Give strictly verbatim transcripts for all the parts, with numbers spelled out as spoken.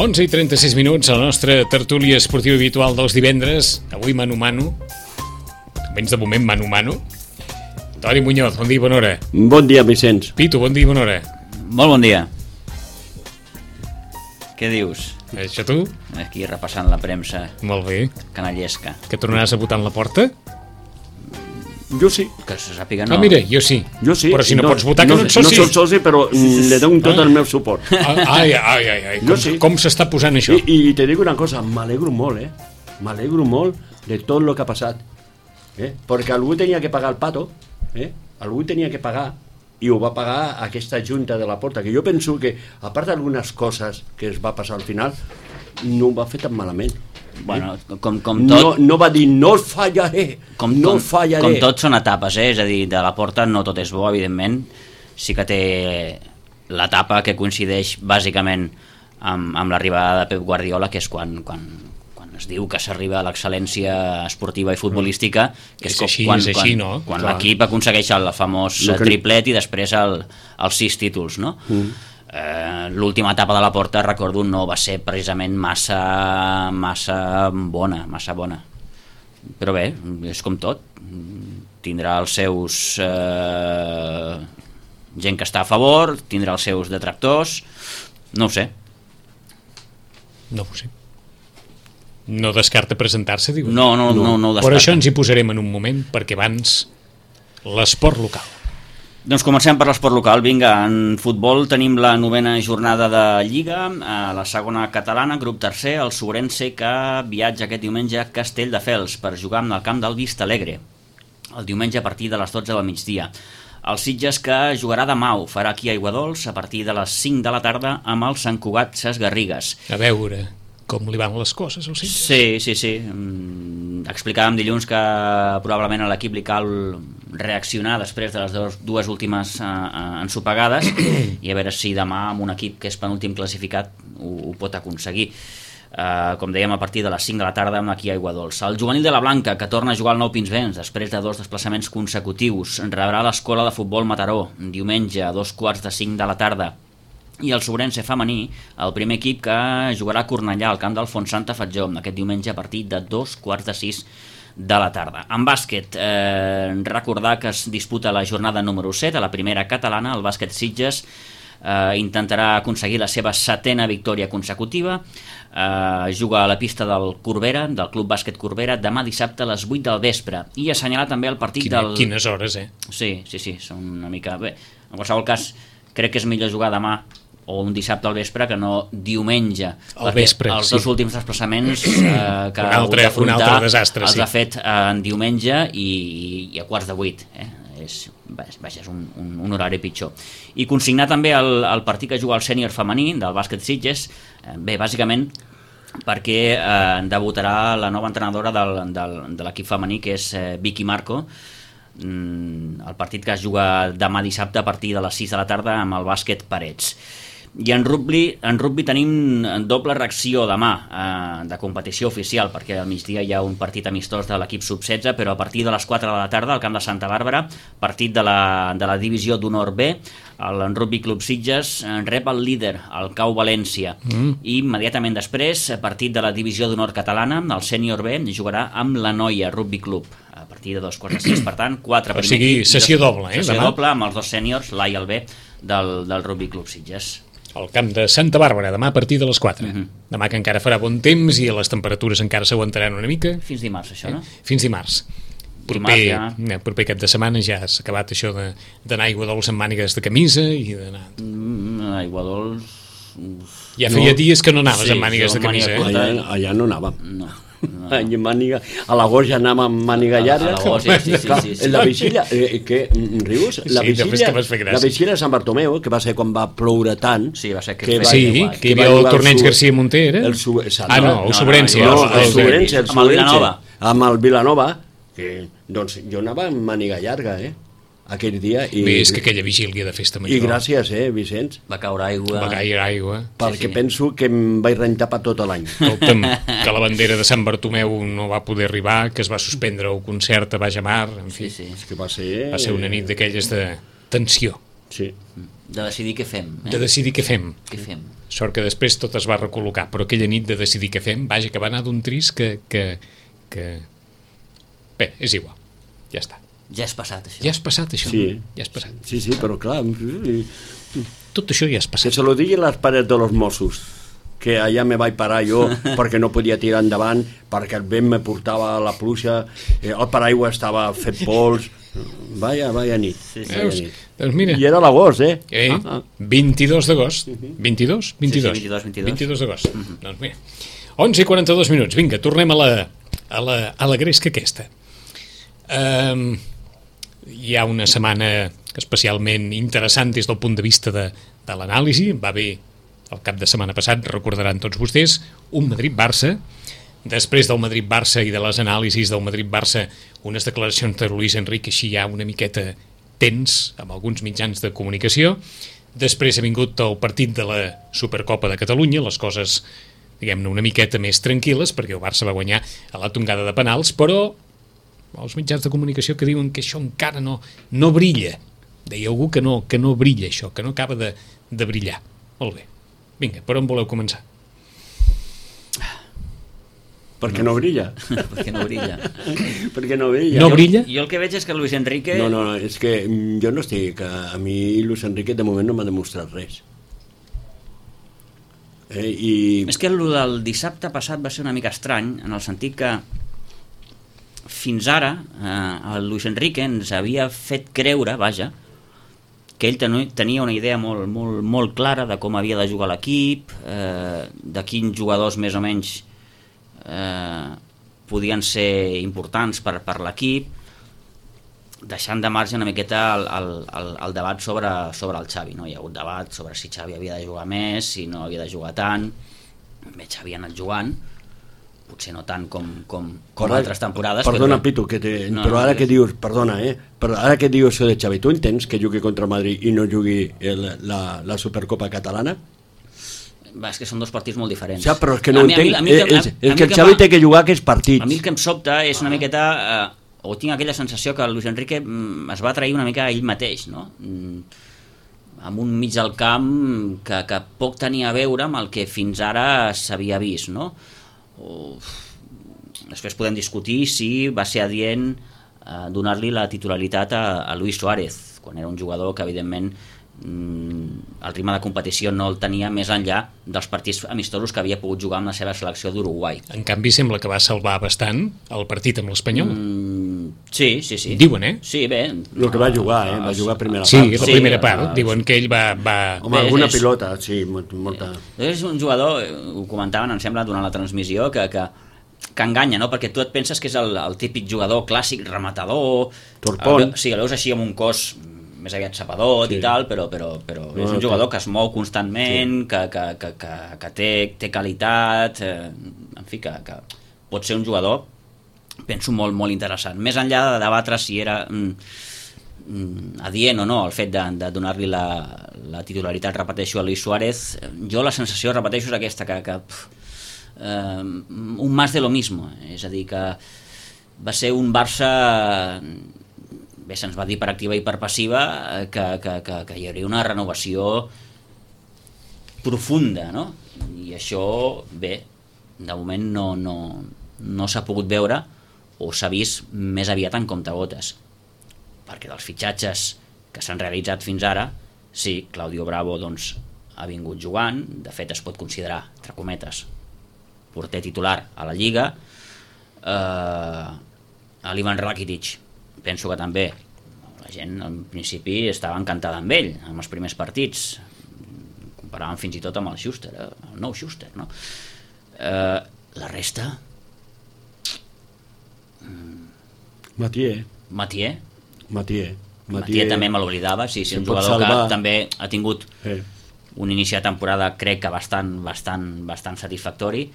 onze i trenta-sis minuts, a la nostra tertúlia esportiva habitual dels divendres. Avui mano a mano, almenys de moment mano a mano. Toni Muñoz, bon dia i bona hora. Bon dia, Vicenç. Pitu, bon dia i bona hora. Molt bon dia. Què dius? Això tu? Aquí repassant la premsa Molt bé. canallesca. Que tornaràs a votar en la porta? Jo sí. Que se sàpiga no. Ah, mira, jo sí. Jo sí. Però si no, no pots votar que no, no ets soci. No soc soci, però le dono tot el meu suport. Ai, ai, ai, ai. Com, sí. com s'està posant això? I, I te dic una cosa, m'alegro molt, eh? M'alegro molt de tot el que ha passat. Eh? Perquè algú tenia que pagar el pato, eh? Algú tenia que pagar, i ho va pagar aquesta junta de la Porta, que jo penso que, a part d'algunes coses que es va passar al final, no ho va fer tan malament. Bueno, com, com tot... No, no va dir, no el fallaré, com, no com, el fallaré. Com tot són etapes, eh? És a dir, de la Porta no tot és bo, evidentment. Sí que té l'etapa que coincideix bàsicament amb, amb l'arribada de Pep Guardiola, que és quan, quan, quan es diu que s'arriba a l'excel·lència esportiva i futbolística, que és, és així, quan, és així, quan, no? quan l'equip aconsegueix el famós que... triplet i després el, els sis títols, no? Mm. Eh, l'última etapa de la Porta, recordo, no va ser precisament massa massa bona, massa bona. Però bé, és com tot. Tindrà els seus eh, gent que està a favor, tindrà els seus detractors, no ho sé. No ho sé. No descarta presentar-se, dius? No, no, no, no ho descarta. Per això ens hi posarem en un moment, perquè abans l'esport local. Doncs comencem per l'esport local. Vinga, en futbol tenim la novena jornada de Lliga, a la segona catalana, grup tercer, el Sobrense, que viatja aquest diumenge a Castelldefels per jugar en el camp del Vistalegre, el diumenge a partir de les dotze del migdia. El Sitges, que jugarà demà, ho farà aquí a Aiguadols a partir de les cinc de la tarda amb el Sant Cugat Ses Garrigues. A veure com li van les coses al Sitges. Sí, sí, sí. Mm, explicàvem dilluns que probablement a l'equip li cal reaccionar després de les dues, dues últimes uh, uh, ensopegades i a veure si demà amb un equip que és penúltim classificat ho, ho pot aconseguir. Uh, com dèiem, a partir de les cinc de la tarda aquí a Aiguadols. El juvenil de la Blanca, que torna a jugar al Nou Pinsbens després de dos desplaçaments consecutius, rebrà l'escola de futbol Mataró diumenge a dos quarts de cinc de la tarda. I el Sobrense femení, el primer equip que jugarà a Cornellà al camp del Fontsanta Fatjó aquest diumenge a partir de dos quarts de sis de la tarda. En bàsquet, eh, recordar que es disputa la jornada número set a la primera catalana. El bàsquet Sitges eh, intentarà aconseguir la seva setena victòria consecutiva. Eh, juga a la pista del Corbera, del Club Bàsquet Corbera, demà dissabte a les vuit del vespre. I assenyalar també el partit Quina, del... Quines hores, eh? Sí, sí, sí, són una mica... Bé, en qualsevol cas, crec que és millor jugar demà o un dissabte al vespre que no diumenge, al vespre, els sí. dos últims desplaçaments eh, que un altre, un altre desastre, els sí. ha fet eh, en diumenge i, i a quarts de vuit, eh? és, vaja, és un, un, un horari pitjor. I consignar també el, el partit que juga el sènior femení del bàsquet Sitges, eh, bé, bàsicament perquè eh, debutarà la nova entrenadora del, del, de l'equip femení, que és eh, Vicky Marco. Mm, el partit que es juga demà dissabte a partir de les sis de la tarda amb el bàsquet Parets. I en rugby, en rugby tenim doble reacció demà eh, de competició oficial, perquè al migdia hi ha un partit amistós de l'equip sub setze, però a partir de les quatre de la tarda al camp de Santa Bàrbara, partit de la, de la divisió d'honor B, el Rugby Club Sitges rep el líder, el Cau València, mm. i immediatament després, partit de la divisió d'honor catalana, el sènior B jugarà amb la Noia Rugby Club a partir de dos quarts de sis, per tant, quatre o sigui, sessió dos, doble, eh? Sessió demà? doble amb els dos sèniors, l'A i el B, del, del Rugby Club Sitges. Al camp de Santa Bàrbara, demà a partir de les quatre. Uh -huh. Demà que encara farà bon temps i les temperatures encara s'aguantaran una mica. Fins dimarts, això, no? Fins dimarts. Proper, dimarts ja... proper cap de setmana ja s'ha acabat això d'anar a Aiguadols amb mànigues de camisa i d'anar... Mm, Aiguadols... Ja feia no. dies que no anaves sí, amb mànigues de camisa, eh? Allà, allà no anàvem. No. No. Màniga, a l'agost ja anàvem amb màniga llarga. A l'agost, sí, sí, sí, sí. La vigília, eh, que rius? La sí, vigília, que la vigília de Sant Bartomeu, que va ser quan va ploure tant. Sí, va ser que, que va, sí, igual, que hi havia el torneig el García Monter, era? El su, ah, no, el Sobrense. No, no, el, el Sobrense, el amb el Vilanova. Amb el Vilanova, que, doncs jo anava amb màniga llarga, eh? Aquell dia. I, bé, és que aquella vigília de festa major. I gràcies, eh, Vicenç? Va caure aigua. Va caure aigua. Perquè sí, sí. penso que em vaig rentar per tot l'any. Escolta'm, que la bandera de Sant Bartomeu no va poder arribar, que es va suspendre el concert a Bajamar, en fi. Sí, sí. És que va ser... Va ser una nit d'aquelles de tensió. Sí. De decidir què fem. Eh? De decidir què fem. Què fem. sort que després tot es va recol·locar, però aquella nit de decidir què fem, vaja, que va anar d'un trist que, que, que... Bé, és igual, ja està. Ja és passat, això. Ja és passat, això. Sí. Ja és passat. Sí, sí, però clar... Tot això ja és Que passat. se lo digui les pares de los Mossos, que allà me vaig parar jo perquè no podia tirar endavant, perquè el vent me portava a la pluja, eh, el paraigua estava fet pols... Vaya, vaya nit. Sí, sí. Vaya Veus? nit. Doncs mira... I era l'agost, eh? Eh, Ah, ah. vint-i-dos d'agost. vint-i-dos? vint-i-dos. Sí, sí, vint-i-dos, vint-i-dos. vint-i-dos d'agost. Doncs mira. onze i quaranta-dos minuts. Vinga, tornem a la, a la, a la gresca aquesta. Um, hi ha una setmana especialment interessant des del punt de vista de, de l'anàlisi. Va haver el cap de setmana passat, recordaran tots vostès, un Madrid-Barça. Després del Madrid-Barça i de les anàlisis del Madrid-Barça, unes declaracions de Luis Enrique així ja una miqueta tens amb alguns mitjans de comunicació. Després ha vingut el partit de la Supercopa de Catalunya, les coses, diguem-ne, una miqueta més tranquil·les, perquè el Barça va guanyar a la tongada de penals, però els mitjans de comunicació que diuen que això encara no, no brilla. Deia algú que no, que no brilla això, que no acaba de, de brillar. Molt bé. Vinga, per on voleu començar? Perquè no brilla. Perquè no brilla. Perquè no brilla. No brilla? Jo el que veig és que Luis Enrique... No, no, no, és que mm, jo no estic... A mi Luis Enrique de moment no m'ha demostrat res. Eh, i... És que el del dissabte passat va ser una mica estrany, en el sentit que fins ara eh, el Luis Enrique ens havia fet creure, vaja, que ell ten tenia una idea molt, molt, molt clara de com havia de jugar l'equip, eh, de quins jugadors més o menys eh, podien ser importants per, per l'equip, deixant de marge una miqueta el, el, el, el debat sobre, sobre el Xavi, no? Hi ha hagut debat sobre si Xavi havia de jugar més, si no havia de jugar tant. Bé, Xavi ha anat jugant, potser no tant com, com, com Ara, altres temporades. Perdona, però... Pitu, que te, No, però no, ara és- que dius, perdona, eh? Però ara que dius això de Xavi, tu entens que jugui contra el Madrid i no jugui el, la, la Supercopa catalana? Va, és que són dos partits molt diferents. Ja, però és que no A mi- a mi- entenc. a mi el que- És, a- és a mi que el que Xavi fa- té que jugar aquests partits. A mi el que em sobta és una miqueta... Eh, o tinc aquella sensació que el Luis Enrique mm, es va trair una mica a ell mateix, no? Mm, amb un mig del camp que, que poc tenia a veure amb el que fins ara s'havia vist, no? O... Després podem discutir si va ser adient eh, donar-li la titularitat a, a Luis Suárez, quan era un jugador que evidentment mm, el ritme de competició no el tenia més enllà dels partits amistosos que havia pogut jugar amb la seva selecció d'Uruguai. En canvi, sembla que va salvar bastant el partit amb l'Espanyol. Mm, sí, sí, sí. Diuen, eh? Sí, bé. El que va jugar, eh? Va jugar a primera Sí, part. la Sí, primera eh, part. ah, Diuen que ell va... va... Home, Bé, alguna és- pilota, sí, molt- molta... És un jugador, eh, ho comentaven, em sembla, durant la transmissió, que, que, que enganya, no? Perquè tu et penses que és el, el típic jugador clàssic, rematador... Torpón. El, sí, el veus així amb un cos més aviat sapadot Sí. i tal, però, però, però No, és un no, jugador té- que es mou constantment, sí. que, que, que, que, que té, té qualitat, eh, en fi, que, que pot ser un jugador, penso, molt, molt interessant. Més enllà de debatre si era mm, mm, adient o no el fet de, de donar-li la, la titularitat, repeteixo, a Luis Suárez, jo la sensació, repeteixo, és aquesta, que, que pff, eh, un más de lo mismo, és a dir, que va ser un Barça... Bé, se'ns va dir per activa i per passiva eh, que, que, que, que hi hauria una renovació profunda, no? I això, bé, de moment no, no, no s'ha pogut veure o s'ha vist més aviat en comptagotes, perquè dels fitxatges que s'han realitzat fins ara, sí, Claudio Bravo doncs, ha vingut jugant, de fet es pot considerar, entre cometes, porter titular a la Lliga, eh, a l'Ivan Rakitic penso que també la gent al principi estava encantada amb ell amb els primers partits, comparaven fins i tot amb el Schuster, el nou Schuster, no? Eh, la resta Mathieu, Mathieu Mathieu. Mathieu també me l'oblidava, sí, sí, Se un pot jugador salvar. que també ha tingut Eh. un inici de temporada crec que bastant, bastant, bastant satisfactori,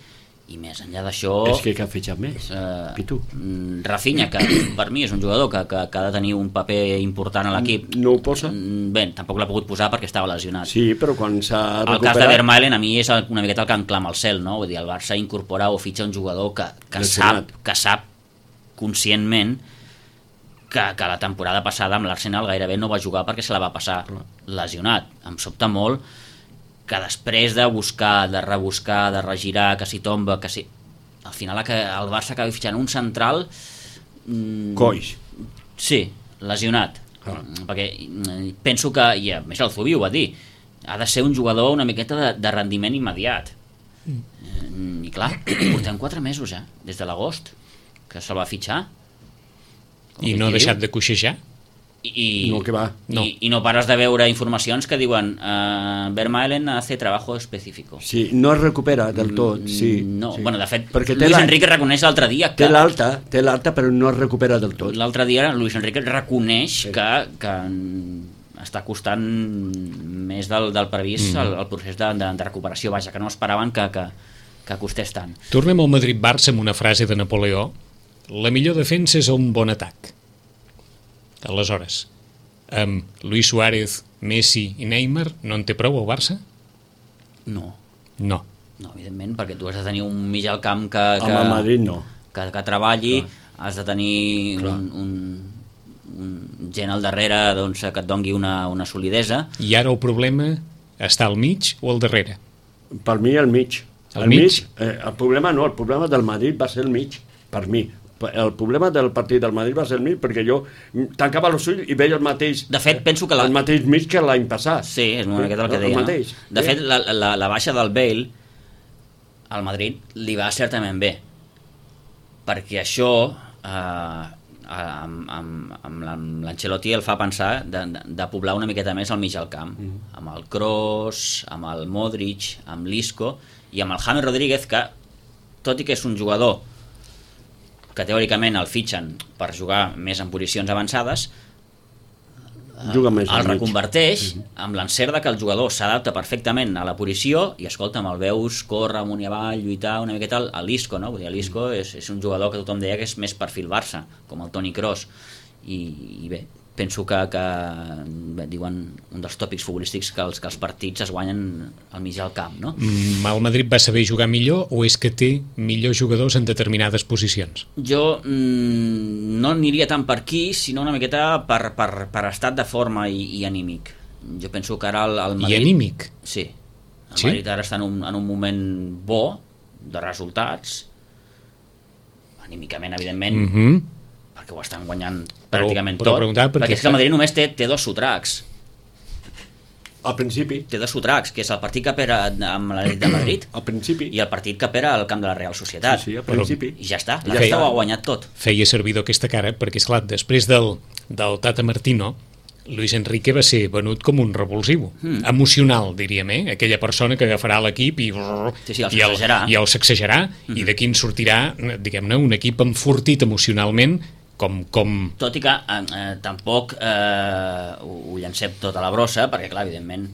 i més enllà d'això És que que ha fitxat més, eh, Pitu. mm, Rafinha, que per mi és un jugador que, que, que ha de tenir un paper important a l'equip. No ho posa? Mm, bé, tampoc l'ha pogut posar perquè estava lesionat. Sí, però quan s'ha El cas de recuperat... Vermaelen a mi és el- una miqueta el que em clama al cel, no? Vull dir, el Barça incorpora o fitxa un jugador que, que, Lesionat. sap, que sap conscientment que, que la temporada passada amb l'Arsenal gairebé no va jugar perquè se la va passar lesionat. Em sobta molt que després de buscar, de rebuscar, de regirar, que si tomba, que si... Al final que el Barça acabi fitxant un central... Mmm, Coix. Sí, lesionat. Ah. Perquè penso que, i a més el Zubi ho va dir, ha de ser un jugador una miqueta de, de rendiment immediat. Mm. I clar, portem quatre mesos ja, des de l'agost, que se'l va fitxar. I no ha deixat de coixejar? I, i, no, que va. No. I, I no pares de veure informacions que diuen uh, Vermaelen hace trabajo específico. Sí, no es recupera del tot, sí. No, sí. bueno, de fet, perquè Luis Enrique reconeix l'altre dia que... Té l'alta, té l'alta, però no es recupera del tot. L'altre dia Luis Enrique reconeix sí. que, que està costant més del, del previst mm. el, el procés de, de, de recuperació, vaja, que no esperaven que, que, que costés tant. Tornem al Madrid-Barça amb una frase de Napoleó: la millor defensa és un bon atac. Aleshores, amb Luis Suárez, Messi i Neymar no en té prou el Barça? No. No. No, evidentment, perquè tu has de tenir un mig al camp que, que, amb el Madrid no. que, que treballi, clar. Has de tenir un, un, un gent al darrere doncs, que et dongui una, una solidesa. I ara el problema està al mig o al darrere? Per mi al mig. Al el mig? mig eh, el problema no, el problema del Madrid va ser el mig, per mi. El problema del partit del Madrid va ser el mig perquè jo tancava els ulls i veia el mateix, de fet, penso que la... el mateix mig que l'any passat. Sí, és una miqueta el que deia, no? De fet, la, la, la baixa del Bale al Madrid li va certament bé, perquè això eh, amb, amb, amb l'Ancelotti el fa pensar de, de, de poblar una miqueta més al mig al camp, mm. amb el Kroos, amb el Modric, amb l'Isco i amb el James Rodríguez, que tot i que és un jugador que teòricament el fitxen per jugar més en posicions avançades, juga més el reconverteix uh-huh. amb l'encert de que el jugador s'adapta perfectament a la posició i escolta, el veus córrer amunt i avall, lluitar una miqueta a l'Isco, no? Vull dir, l'Isco és, és un jugador que tothom deia que és més perfil Barça, com el Toni Kroos, i, i bé, penso que, que bé, diuen un dels tòpics futbolístics que els, que els partits es guanyen al mig del camp, no? Mm, el Madrid va saber jugar millor o és que té millors jugadors en determinades posicions? Jo mm, no aniria tant per aquí, sinó una miqueta per, per, per estat de forma i, i anímic. Jo penso que ara el, el Madrid... I anímic? Sí. El sí? Madrid ara està en un, en un moment bo de resultats, anímicament, evidentment, mhm, perquè ho estan guanyant pràcticament però, però tot, perquè és que el Madrid només té, té dos sotracs. Al principi. Té dos sotracs, que és el partit que pera amb l'Atlètic de Madrid al principi. i el partit que pera al camp de la Real Societat. Sí, sí, al principi. I ja està, la Ja resta està. ho ha guanyat tot. Feia servidor aquesta cara perquè, esclar, després del, del Tata Martino, Luis Enrique va ser venut com un revulsiu, mm. emocional, diríem, eh? Aquella persona que agafarà l'equip i, sí, sí, el i, el, i el sacsejarà, mm-hmm. i d'aquí en sortirà, diguem-ne, un equip enfortit emocionalment, com... com... Tot i que eh, eh, tampoc eh, ho, ho llancem tot a la brossa, perquè, clar, evidentment,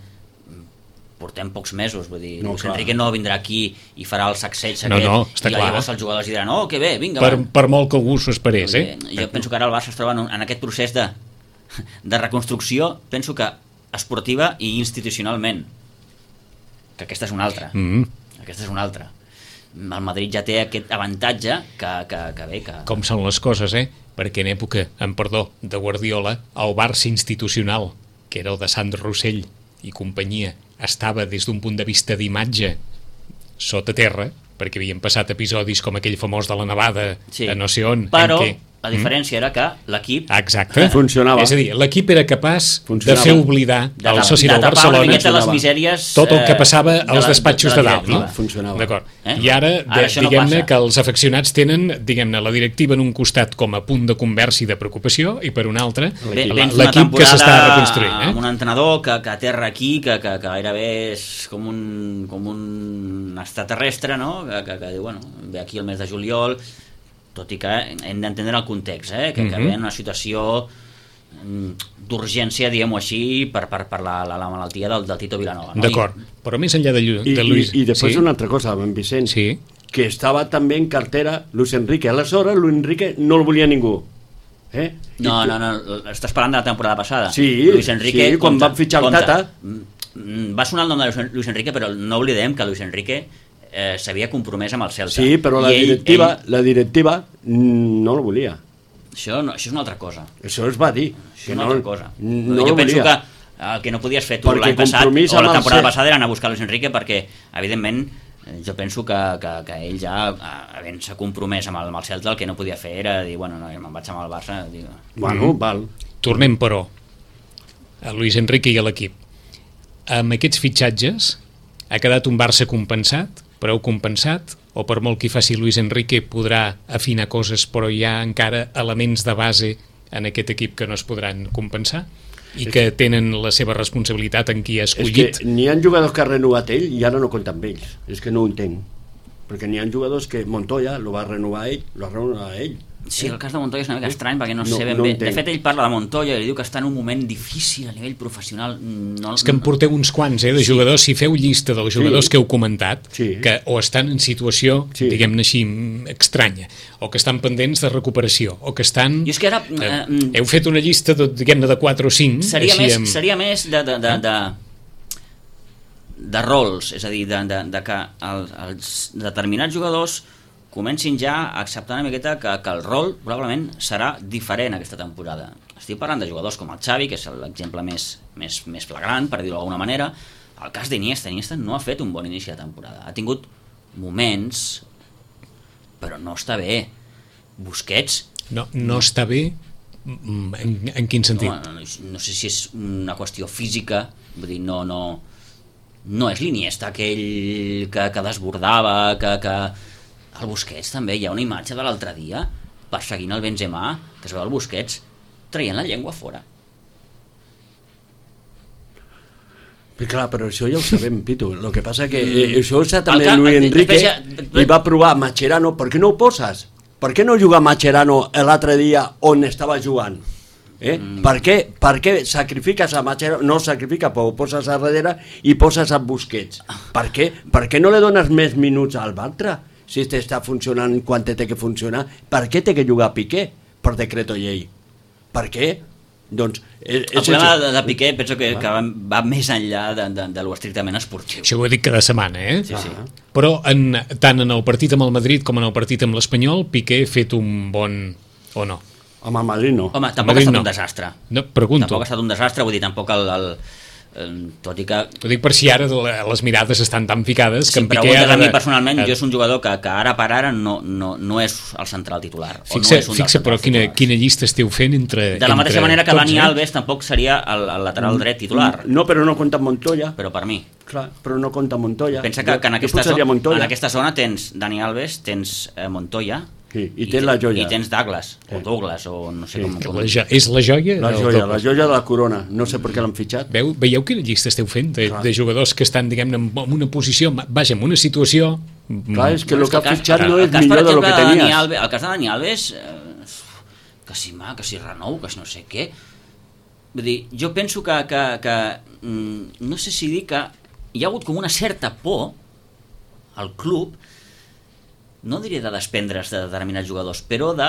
portem pocs mesos, vull dir, no, Luis Enrique no vindrà aquí i farà el sacseig aquest, no, no, està i clar. llavors els jugadors diran, oh, que bé, vinga, per, va. Per molt que algú s'ho esperés, eh? Jo penso que ara el Barça es troba en, en aquest procés de, de reconstrucció, penso que esportiva i institucionalment, que aquesta és una altra. Mm. Aquesta és una altra. El Madrid ja té aquest avantatge que, que, que bé, que... Com són les coses, eh? Perquè en època, en perdó, de Guardiola, el Barça institucional, que era el de Sandro Rossell i companyia, estava des d'un punt de vista d'imatge sota terra, perquè havien passat episodis com aquell famós de la nevada sí. a no sé on. Però en què... la diferència mm? era que l'equip... Exacte. Funcionava. És a dir, l'equip era capaç Funcionava. de fer oblidar de, el soci del Barcelona les misèries, tot el que passava de als la, despatxos de, de, de dalt, no? Funcionava. D'acord. Eh? I ara, de, ara diguem-ne no que els afeccionats tenen, diguem-ne, la directiva en un costat com a punt de conversa i de preocupació i per un altre l'equip que s'està reconstruint. Eh? Amb un entrenador que, que aterra aquí, que, que, que gairebé és com un, com un extraterrestre, no? Que, que, que diu, bueno, ve aquí el mes de juliol, tot i que hem d'entendre el context, eh? que, mm-hmm. que ve en una situació d'urgència, diguem-ho així, per, per, per la, la, la malaltia del, del Tito Vilanova. No? D'acord, però més enllà de, I, de Luis... I, i després sí? una altra cosa, en Vicent, sí? que estava també en cartera Luis Enrique. Aleshores, Luis Enrique no el volia ningú. Eh? No, no, no, estàs parlant de la temporada passada. Sí, Luis Enrique, sí quan compte, van fitxar el compte. Tata... Va sonar el nom de Luis Enrique, però no oblidem que Luis Enrique eh, s'havia compromès amb el Celta. Sí, però la ell, directiva, ell... la directiva no el volia. Això, no, això és una altra cosa. Això es va dir. Això Que és una no, altra cosa. No jo penso volia. que el que no podies fer tu Perquè l'any passat o compromís la amb el temporada ser- passada era anar a buscar Luis Enrique, perquè evidentment eh, jo penso que, que, que ell ja eh, havent-se compromès amb el, amb el Celta, el que no podia fer era dir, bueno, no, me'n vaig amb el Barça, dic, Bueno, val. Tornem, però, a Luis Enrique i a l'equip. Amb aquests fitxatges ha quedat un Barça compensat, prou compensat, o per molt que hi faci Luis Enrique podrà afinar coses, però hi ha encara elements de base en aquest equip que no es podran compensar i que tenen la seva responsabilitat en qui ha És escollit. que n'hi ha jugadors que ha renovat ell i ara no compten amb ells. És que no ho entenc. Perquè n'hi ha jugadors que Montoya lo va renovar ell, lo va renovar ell. sí, el cas de Montoya és una mica estrany perquè no, No- sé ben no bé. entenc. De fet, ell parla de Montoya i diu que està en un moment difícil a nivell professional. No, És que em porteu uns quants, eh, de jugadors, si feu llista dels jugadors Sí. que heu comentat, Sí. que o estan en situació, Sí. diguem-ne així, mm, estranya, o que estan pendents de recuperació, o que estan... Jo és que ara, Eh, eh, heu fet una llista, de, diguem-ne, de quatre o cinc, seria, així més, amb... seria més de, de, de, de, de rols, és a dir, de, de, de que el, els determinats jugadors comencin ja a acceptar una miqueta que, que el rol probablement serà diferent aquesta temporada. Estic parlant de jugadors com el Xavi, que és l'exemple més, més, més flagrant, per dir-ho d'alguna manera. El cas d'Iniesta, Iniesta no ha fet un bon inici de temporada. Ha tingut moments, però no està bé. Busquets, No, no està bé, mm, en, en quin sentit? no, no, no sé si és una qüestió física, vull dir, no, no, no és l'Iniesta aquell que, que desbordava, que, que... El Busquets també, hi ha una imatge de l'altre dia perseguint el Benzema, que es veu el Busquets traient la llengua fora. Però clar, però això ja ho sabem, Pitu. El que passa que eh, això ho sap també El ca- Luis el- Enrique després ja- i va provar Mascherano. Per què no ho poses? Per què no juga Mascherano l'altre dia on estava jugant? Eh? Mm. Per, què, per què sacrifiques a Mascherano? No sacrifica, però ho poses a darrere i poses a Busquets. Per què? Per què no li dones més minuts al Bartra? Si este està funcionant quan té que funcionar, per què té que jugar Piqué per decreto llei? Per què? Doncs... És, El és problema això. de, de Piqué penso que, que va, va més enllà de, de, de lo estrictament esportiu. Això ho he dit cada setmana, eh? Sí, sí. Però en, tant en el partit amb el Madrid com en el partit amb l'Espanyol, Piqué ha fet un bon... o no? Home, a Madrid no. Home, tampoc Madrid ha estat no. un desastre. No, pregunto. Tampoc ha estat un desastre, vull dir, tampoc el... el, el tot i que... Ho dic per si ara les mirades estan tan ficades que Si en em Piqué preguntes ha a mi de- personalment, ha- jo és un jugador que, que ara per ara no, no, no és el central titular. Fixa, o no és un dels fixa però centrals quina, titulars. quina llista esteu fent entre... De la mateixa entre manera que tots, Dani eh? Alves tampoc seria el, el lateral dret titular, No, però no compta Montoya. però per mi. Clar, però no compta Montoya. Pensa que, que en, Jo aquesta posaria zona, Montoya. en aquesta zona tens Dani Alves, tens eh, Montoya, Sí, i tens la joia. i tens Douglas, o Sí. Douglas, o no sé Sí. com... Que com... la jo, és la joia? La del joia, doble. la joia de la corona. No sé per què l'han fitxat. Veu, veieu quina llista esteu fent de, Clar. de jugadors que estan, diguem-ne, en en una posició, vaja, en una situació... Clar, és que No, el que ha cas- fitxat no el és cas, per millor de lo exemple, que Dani tenies. Alves, el cas de Dani Alves, eh, que si mà, que si renou, que si no sé què... Vull dir, jo penso que, que, que mm, no sé si dir que hi ha hagut com una certa por al club, no diré de desprendre's de determinats jugadors, però de,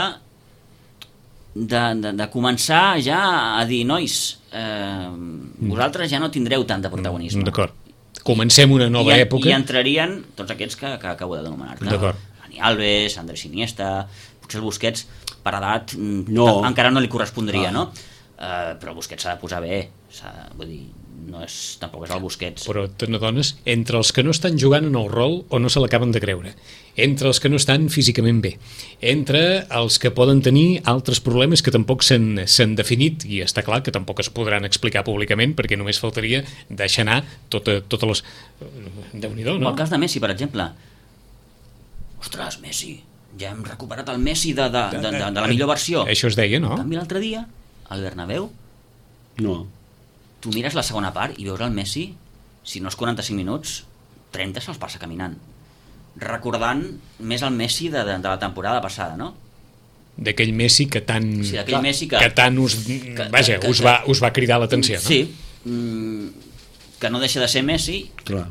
de, de, de començar ja a dir, nois, eh, vosaltres ja no tindreu tant de protagonisme. D'acord. Comencem una nova I, època. I entrarien tots aquests que, que acabo d'anomenar-te. D'acord. Dani Alves, Andrés Iniesta, potser el Busquets, per edat, mm, No. ta- encara no li correspondria, Ah. no? Uh, però el Busquets s'ha de posar bé, s'ha- vull dir, no és, tampoc és el Busquets. Però te n'adones, entre els que no estan jugant en el rol o no se l'acaben de creure, entre els que no estan físicament bé, entre els que poden tenir altres problemes que tampoc s'han s'han definit, i està clar que tampoc es podran explicar públicament perquè només faltaria deixar anar tota, totes les... Déu-n'hi-do, No? no? El cas de Messi, per exemple. Ostres, Messi, ja hem recuperat el Messi de, de, de, de, de la millor versió. Això es deia, no? En canvi, l'altre dia, al Bernabéu, No. tu mires la segona part i veus el Messi, si no és quaranta-cinc minuts, trenta se'ls passa caminant. Recordant més el Messi de, de, de la temporada passada, no? D'aquell Messi que tant... O sigui, aquell Messi que... que tant us, que- vaja, que- us, que- va, us va cridar l'atenció, no? Sí, mm, que no deixa de ser Messi, Clar.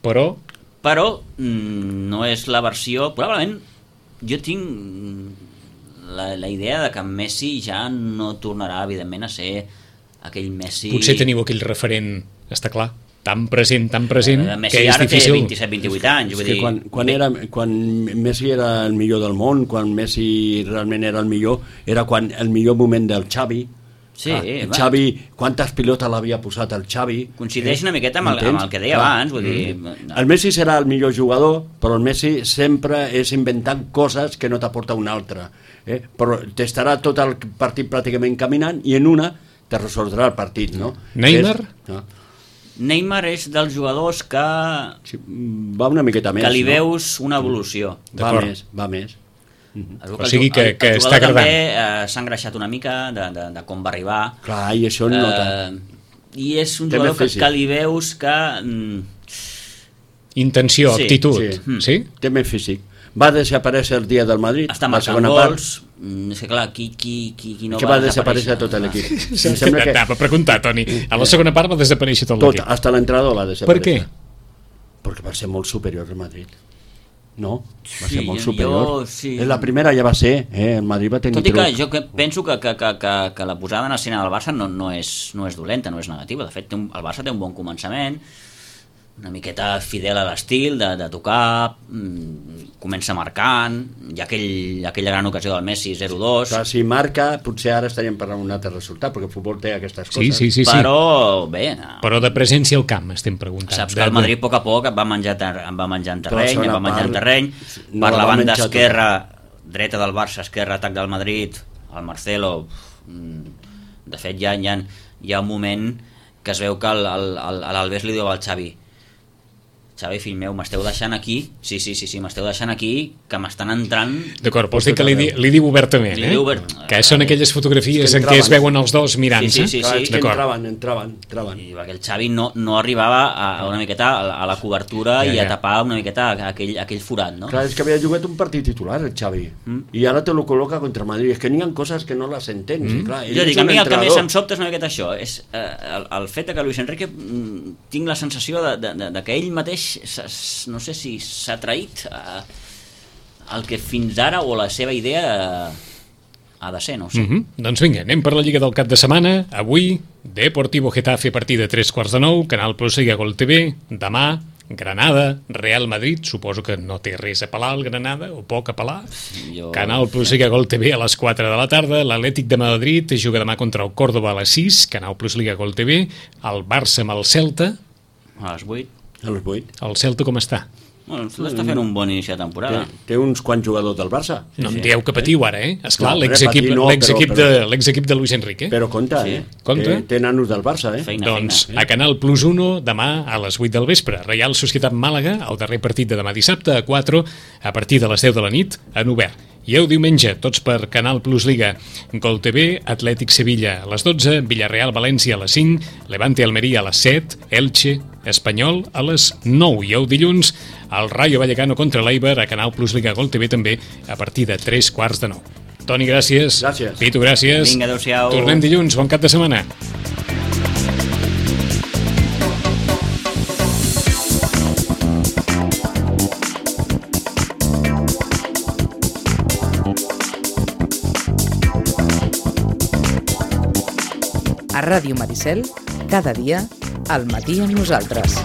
Però però mm, no és la versió... Probablement jo tinc mm, la, la idea de que Messi ja no tornarà, evidentment, a ser aquell Messi... potser teniu aquell referent, està clar, tan present, tan present, Eh, Messi que és ara difícil. té vint-i-set vint-i-vuit anys, És vull que dir... quan, quan, era, quan Messi era el millor del món, quan Messi realment era el millor, era quan el millor moment del Xavi, Sí, ah, el va. Xavi, quantes pilotes l'havia posat el Xavi. Coincideix una miqueta amb el, amb el que deia Clar. abans, vull dir... El Messi serà el millor jugador, però el Messi sempre és inventant coses que no t'aporta un altre. Eh? Però t'estarà tot el partit pràcticament caminant i en una te resoldrà el partit, no? Neymar? És, no? Neymar és dels jugadors que, Sí, va una miqueta més, que li no? veus una evolució. Va D'acord. més, va més. Es veu O el sigui ju- que- el- que el està jugador agradant. també eh, s'ha engreixat una mica de, de, de com va arribar. Clar, i això no... Eh, I és un Té jugador més que, físic. que li veus que... Mm, Intenció, Sí, actitud. sí. Sí? sí? Té més físic. Va desaparèixer el dia del Madrid, està la marcant segona gols. part, Mm, és que clar, qui, qui, qui, qui no que va, va desaparèixer tot l'equip. Em sembla que Anava a preguntar, Toni. A la segona part va desaparèixer tot tot, l'equip. hasta l'entrenador va Per desaparèixer. què? Perquè va ser molt superior al Madrid. No? Va Sí, ser molt jo- superior. jo- sí. Eh, La primera ja va ser, eh? El Madrid va tenir Tot i que truc. jo que penso que, que, que, que, que la posada en escena del Barça no, no, és, no és dolenta, no és negativa. De fet, té un, el Barça té un bon començament, una miqueta fidel a l'estil de, de tocar, mm, comença marcant, hi ha aquell, aquella gran ocasió del Messi zero dos, Clar, si marca, potser ara estaríem parlant d'un altre resultat, perquè el futbol té aquestes Sí, coses. sí, sí. sí. però bé, no. Però de presència al camp estem preguntant. Saps De- que el Madrid a poc a poc va menjar, ter va menjar en Però la terreny, segona va menjar en part terreny, no per la la va banda menjar esquerra, dreta del Barça, esquerra, atac del Madrid, el Marcelo, mm, de fet hi ha, hi ha, hi ha un moment que es veu que el- el- el- l'Albés li diu al Xavi: Xavi, fill meu, m'esteu deixant aquí, sí, sí, sí, sí m'esteu deixant aquí, que m'estan entrant... D'acord, vols dir que li, di- li diu obertament, Li eh? diu obert- Que són aquelles fotografies És que en què es entraven. veuen els dos mirant-se? Sí, sí, sí, Clar, és que D'acord. entraven, entraven, entraven. I perquè el Xavi no, no arribava a, a una miqueta a la, a la cobertura Ja, i a ja. tapar una miqueta aquell, aquell forat, no? Clar, és que havia jugat un partit titular, el Xavi, Mm. i ara te lo col·loca contra el Madrid. És que n'hi ha coses que no les entens. Mm. Clar, ell Jo és dic, a un mi el que més entrenador. em sobta és una miqueta això, és eh, el, el fet de que Luis Enrique mm, tinc la sensació de, de, de, de que ell mateix, s'ha- no sé si s'ha traït eh, el que fins ara o la seva idea eh, ha de ser, no ho sé. Mm -hmm. Doncs vinga, anem per la Lliga del cap de setmana. Avui, Deportivo Getafe, partida a tres quarts de nou, Canal Plus Liga Gol T V. Demà, Granada, Real Madrid, suposo que no té res a pelar el Granada, o poc a pelar. Jo- Canal Plus Liga Gol T V a les quatre de la tarda, l'Atlètic de Madrid juga demà contra el Córdoba a les sis, Canal Plus Liga Gol T V, el Barça amb el Celta. A les vuit. A les vuit. El Celta com està? Bueno, el Celta està fent un bon inici de Té, temporada. té uns quants jugadors del Barça. No em dieu que patiu ara, eh? Esclar, No, l'exequip patir no, l'exequip però- de, l'exequip de Luis Enrique. Però compte, Sí. eh? Compte. Té, té nanos del Barça, eh? Feina, Doncs feina. a Canal Plus uno, demà a les vuit del vespre, Reial Societat Màlaga, el darrer partit de demà dissabte, a quatre, a partir de les deu de la nit, en obert. I el diumenge, tots per Canal Plus Liga, Gol T V, Atlètic Sevilla a les dotze, Villarreal València a les cinc, Levante Almeria a les set, Elche Espanyol a les nou. I el dilluns, el Rayo Vallecano contra l'Eibar a Canal Plus Liga Gol T V també a partir de tres quarts de nou. Toni, gràcies. Gràcies. Pitu, gràcies. Vinga, adéu-siau. Tornem dilluns, bon cap de setmana. A Ràdio Maricel, cada dia, al matí amb nosaltres.